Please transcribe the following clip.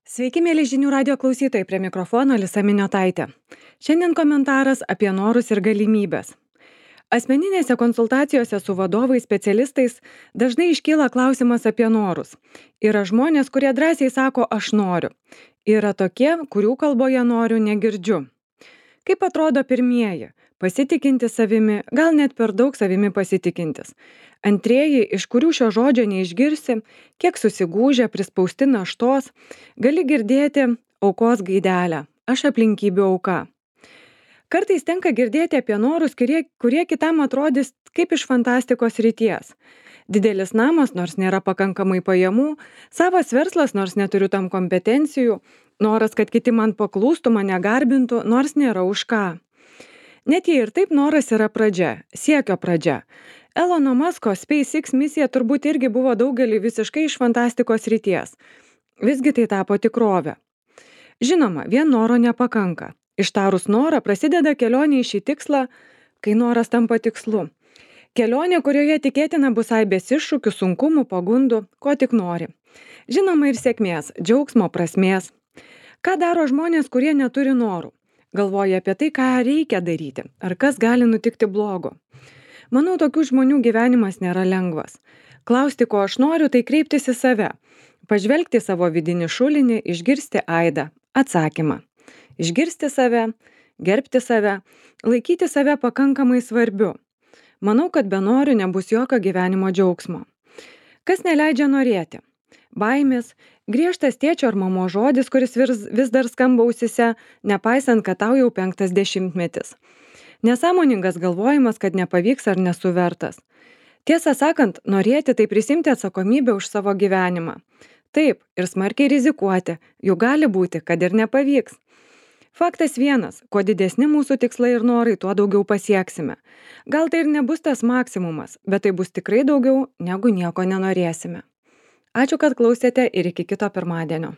Sveiki, mėly žinių radio klausytojai, prie mikrofono Alisa Miniotaitė. Šiandien komentaras apie norus ir galimybės. Asmeninėse konsultacijose su vadovais, specialistais dažnai iškyla klausimas apie norus. Yra žmonės, kurie drąsiai sako aš noriu. Yra tokie, kurių kalboje noriu negirdžiu. Kaip atrodo pirmieji? Pasitikinti savimi, gal net per daug savimi pasitikintis. Antrieji, iš kurių šio žodžio neišgirsi, kiek susigūžę, prispausti naštos, gali girdėti aukos gaidelę. Aš aplinkybių auka. Kartais tenka girdėti apie norus, kurie kitam atrodys kaip iš fantastikos srities. Didelis namas, nors nėra pakankamai pajamų, savas verslas, nors neturiu tam kompetencijų, noras, kad kiti man paklūstų, mane garbintų, nors nėra už ką. Net jei ir taip noras yra pradžia, siekio pradžia. Elono Musko SpaceX misija turbūt irgi buvo daugelį visiškai iš fantastikos srities. Visgi tai tapo tikrovė. Žinoma, vien noro nepakanka. Ištarus norą prasideda kelionė į šį tikslą, kai noras tampa tikslu. Kelionė, kurioje tikėtina bus aibės iššūkių, sunkumų, pagundų, ko tik nori. Žinoma ir sėkmės, džiaugsmo, prasmės. Ką daro žmonės, kurie neturi norų? Galvoja apie tai, ką reikia daryti, ar kas gali nutikti blogo. Manau, tokių žmonių gyvenimas nėra lengvas. Klausti, ko aš noriu, tai kreiptis į save. Pažvelgti savo vidinį šulinį, išgirsti aidą, atsakymą. Išgirsti save, gerbti save, laikyti save pakankamai svarbiu. Manau, kad be norių nebus jokio gyvenimo džiaugsmo. Kas neleidžia norėti? Baimės, griežtas tėčio ar mamos žodis, kuris vis dar skamba ausyse, nepaisant, kad tau jau 5 dešimtmetis. Nesąmoningas galvojimas, kad nepavyks ar nesu vertas. Tiesą sakant, norėti tai prisimti atsakomybę už savo gyvenimą. Taip, ir smarkiai rizikuoti, jų gali būti, kad ir nepavyks. Faktas vienas, kuo didesni mūsų tikslai ir norai, tuo daugiau pasieksime. Gal tai ir nebus tas maksimumas, bet tai bus tikrai daugiau, negu nieko nenorėsime. Ačiū, kad klausėte ir iki kito pirmadienio.